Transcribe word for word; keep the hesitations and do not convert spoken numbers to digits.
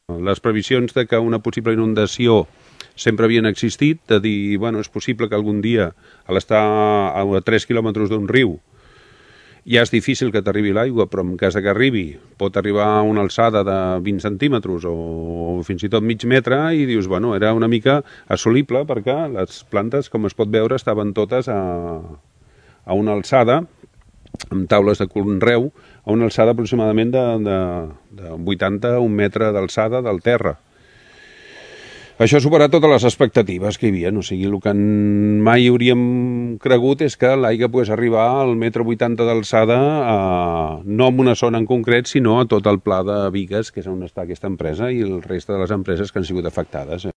Les previsions de que una possible inundació sempre havien existit, de dir, bueno, és possible que algun dia, a l'estar a tres quilòmetres d'un riu, ja és difícil que t'arribi l'aigua, però en cas que arribi pot arribar a una alçada de vint centímetres o fins i tot mig metre, i dius, bueno, era una mica assolible perquè les plantes, com es pot veure, estaven totes a, a una alçada, amb taules de conreu, a una alçada aproximadament de, de, de vuitanta a un metre d'alçada del terra. Això ha superat totes les expectatives que hi havia, o sigui, el que mai hauríem cregut és que l'aigua pogués arribar al metre vuitanta d'alçada, no en una zona en concret, sinó a tot el pla de Bigues, que és on està aquesta empresa, i el reste de les empreses que han sigut afectades.